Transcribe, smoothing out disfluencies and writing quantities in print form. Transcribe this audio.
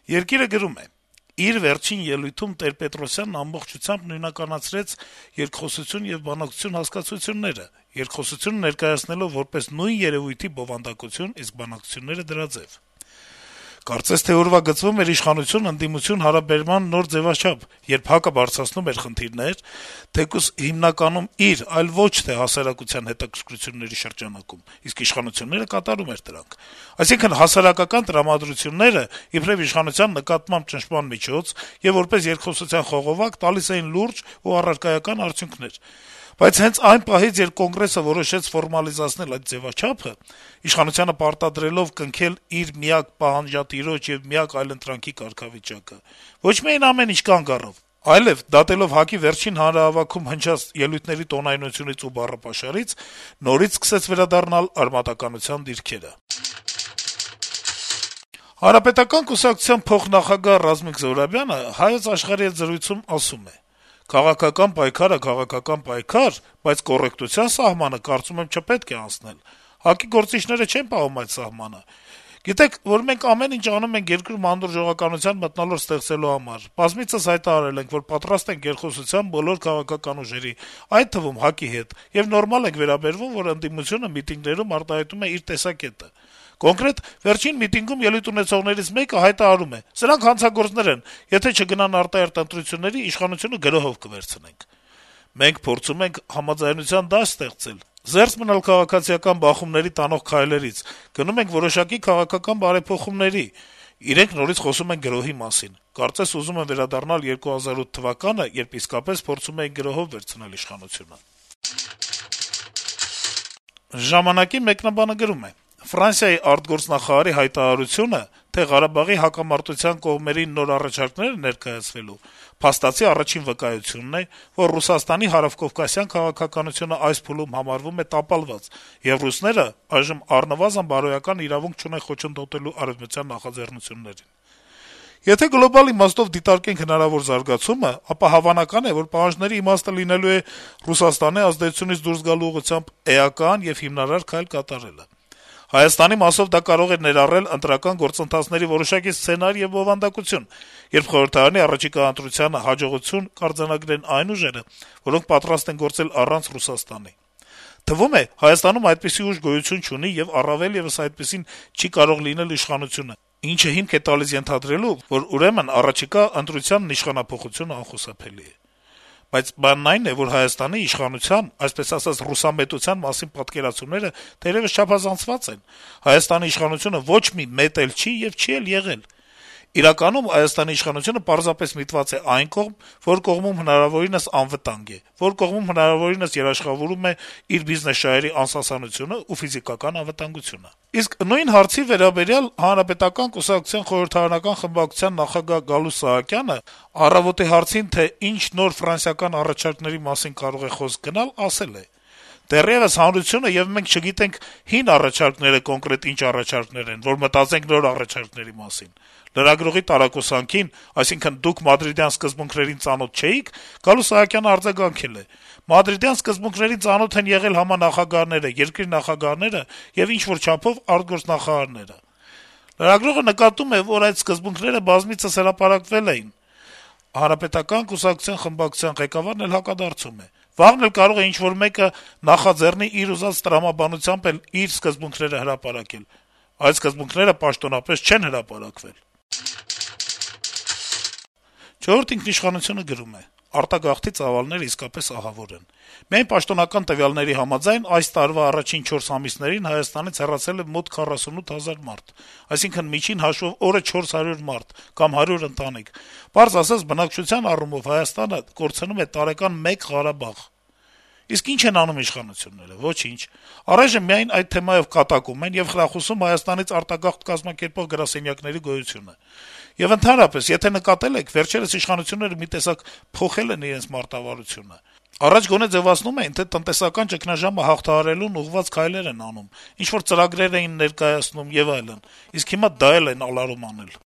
Երկիրը գրում է. - «Իր վերջին ելույթում Տեր-Պետրոսյանն ամբողջությամբ նույնականացրեց երկխոսություն եւ բանակցություն հասկացությունները, երկխոսությունը ներկայացնելով որպես նույն երեւույթի բովանդակություն, իսկ բանակցությունները դրա ձեւ: Կարծես թե ուրվագծվում էր իշխանություն-ընդդիմություն հարաբերման նոր ձեւաչափ, երբ ՀԱԿ-ը բարձրացնում էր խնդիրներ, թեկուզ հիմնականում իր, այլ ոչ թե հասարակության հետաքրքրությունների շրջանակում, իսկ իշխանությունները կատարում էր դրանք: Այսինքն հասարակական տրամադրությունները, իբրեւ իշխանության նկատմամբ ճնշման միջոց եւ որպես երկխոսության խողովակ, տալիս էին լուրջ ու առարկայական արդյունքներ: Բայց հենց այն պահից, երբ Կոնգրեսը որոշեց ֆորմալիզացնել այդ ձեւաչափը, իշխանությանը պարտադրելով կնքել իր միակ պահանջատիրոջ եւ միակ այլընտրանքի կարգավիճակը, ոչ միայն ամեն ինչ կանգ առավ, այլեւ դատելով ՀԱԿ-ի վերջին հանրահավաքում հնչած ելույթների տոնայնությունից ու բառապաշարից, նորից սկսեց վերադառնալ արմատականության դիրքերը»: Հանրապետական կուսակցության փոխնախագահ Ռազմիկ Զոհրաբյանը «Հայոց Աշխարհ»-ի հետ զրույցում ասում է. - «Քաղաքական պայքարը քաղաքական պայքար, բայց կոռեկտության սահմանը, կարծում եմ, չպետք է անցնել: ՀԱԿ-ի գործիչները չեն պահում այդ սահմանը: Գիտեք, որ մենք ամեն ինչ անում ենք երկրում հանդուրժողականության մթնոլորտ ստեղծելու համար: Բազմիցս հայտարարել ենք, որ պատրաստ ենք երկխոսության բոլոր քաղաքական ուժերի, այդ թվում ՀԱԿ-ի հետ, եւ նորմալ ենք վերաբերվում, որ ընդդիմությունը միտինգներում արտահայտում է իր տեսակետը: Կոնկրետ վերջին միտինգում ելույթ ունեցողներից մեկը հայտարարում է. «Սրանք հանցագործներ են, եթե չգնան արտահերթ ընտրությունների, իշխանությունը գրոհով կվերցնենք»: Մենք փորձում ենք համաձայնության դաշտ ստեղծել, զերծ մնալ քաղաքացիական բախումների տանող քայլերից, գնում ենք որոշակի քաղաքական բարեփոխումների: Իրենք նորից խոսում են գրոհի մասին: Կարծես ուզում են վերադառնալ 2008 թվականը, երբ իսկապես փորձում էին գրոհով վերցնել իշխանությունը»: «Ժամանակ»-ի մեկնաբանը գրում է. - «Ֆրանսիայի արտգործնախարարի հայտարարությունը, թե Ղարաբաղի հակամարտության կողմերին նոր առաջարկներ է ներկայացվելու, փաստացի առաջին վկայությունն է, որ Ռուսաստանի հարավկովկասյան քաղաքականությունը այս փուլում համարվում է տապալված, եւ ռուսները այժմ առնվազն բարոյական իրավունք չունեն խոչընդոտելու արեւմտյան նախաձեռնություններին: Եթե գլոբալ իմաստով դիտարկենք հնարավոր զարգացումը, ապա հավանական է, որ պահանջների իմաստը լինելու է Ռուսաստանի ազդեցությունից դուրս գալու ուղղությամբ էական եւ հիմնարար քայլ կատարելը: Հայաստանի մասով դա կարող է ներառել ընտրական գործընթացների որոշակի սցենար եւ բովանդակություն, երբ խորհրդարանի առաջիկա ընտրությանը հաջողություն կարձանագրեն այն ուժերը, որոնք պատրաստ են գործել առանց Ռուսաստանի: Թվում է, Հայաստանում այդպիսի ուժ գոյություն չունի եւ առավել եւս այդպիսին չի կարող լինել իշխանությունը, ինչը հիմք է տալիս ենթադրելու, որ ուրեմն առաջիկա ընտրությանն իշխանափոխությունը անխուսափելի է: Բայց բանն այն է, որ Հայաստանի իշխանության, այսպես ասած, ռուսամետության մասին պատկերացումները թերեւս չափազանցված են: Հայաստանի իշխանությունը ոչ մի մետ էլ չի եւ չի էլ եղել: Իրականում Հայաստանի իշխանությունը պարզապես միտված է այն կողմ, որ կողմում հնարավորինս անվտանգ է, որ կողմում հնարավորինս երաշխավորում է իր բիզնես-շահերի անսասանությունը ու ֆիզիկական անվտանգությունը: Իսկ նույն հարցի վերաբերյալ Հանրապետական կուսակցության խորհրդարանական խմբակցության նախագահ Գալուստ Սահակյանը «Առավոտ»-ի հարցին, թե ինչ նոր ֆրանսիական առաջարկների մասին կարող է խոսք գնալ, ասել է. - «Դեռեւս հանրությունը եւ մենք չգիտենք հին առաջարկները կոնկրետ ինչ առաջարկներ են, որ մտածենք նոր առաջարկների մասին»: Լրագրողի տարակուսանքին, այսինքն՝ «Դուք մադրիդյան սկզբունքներին ծանոթ չէի՞ք», Գալուստ Սահակյանը արձագանքել է. - «Մադրիդյան սկզբունքներին ծանոթ են եղել համանախագահները, երկրի նախագահները եւ ինչ-որ չափով արտգործնախարարները»: Լրագրողը նկատում է, որ այդ սկզբունքները բազմիցս հրապարակվել էին: Հանրապետական կուսակցության խմբակցության ղեկավարն էլ հակադարձում է. - «Վաղն էլ կարող է ինչ-որ մեկը նախաձեռնի իր ուզած տրամաբանությամբ էլ իր սկզբունքները հրապարակել: Այդ սկզբունքները պաշտոնապես չեն հրապարակվել»: «Չորրորդ ինքնիշխանություն»-ը գրում է. - «Արտագաղթի ծավալները իսկապես ահավոր են: Միայն պաշտոնական տվյալների համաձայն, այս տարվա առաջին 4 ամիսներին Հայաստանից հեռացել է մոտ 48 հազար մարդ: Այսինքն` միջին հաշվով օրը 400 մարդ կամ 100 ընտանիք: Պարզ ասած, բնակչության առումով Հայաստանը կորցնում է տարեկան մեկ Ղարաբաղ: Իսկ ի՞նչ են անում իշխանությունները: Ոչինչ: Առայժմ միայն այդ թեմայով կատակում են եւ խրախուսում Հայաստանից արտագաղթ կազմակերպող գրասենյակների գոյությունը: Եվ ընդհանրապես, եթե նկատել եք, վերջերս իշխանությունները մի տեսակ փոխել են իրենց մարտավարությունը: Առաջ գոնե ձեւացնում էին, թե տնտեսական ճգնաժամը հաղթահարելուն ուղղված քայլեր են անում, ինչ-որ ծրագրեր էին ներկայացնում եւ այլն: Իսկ հիմա դա էլ են ալարում անել»: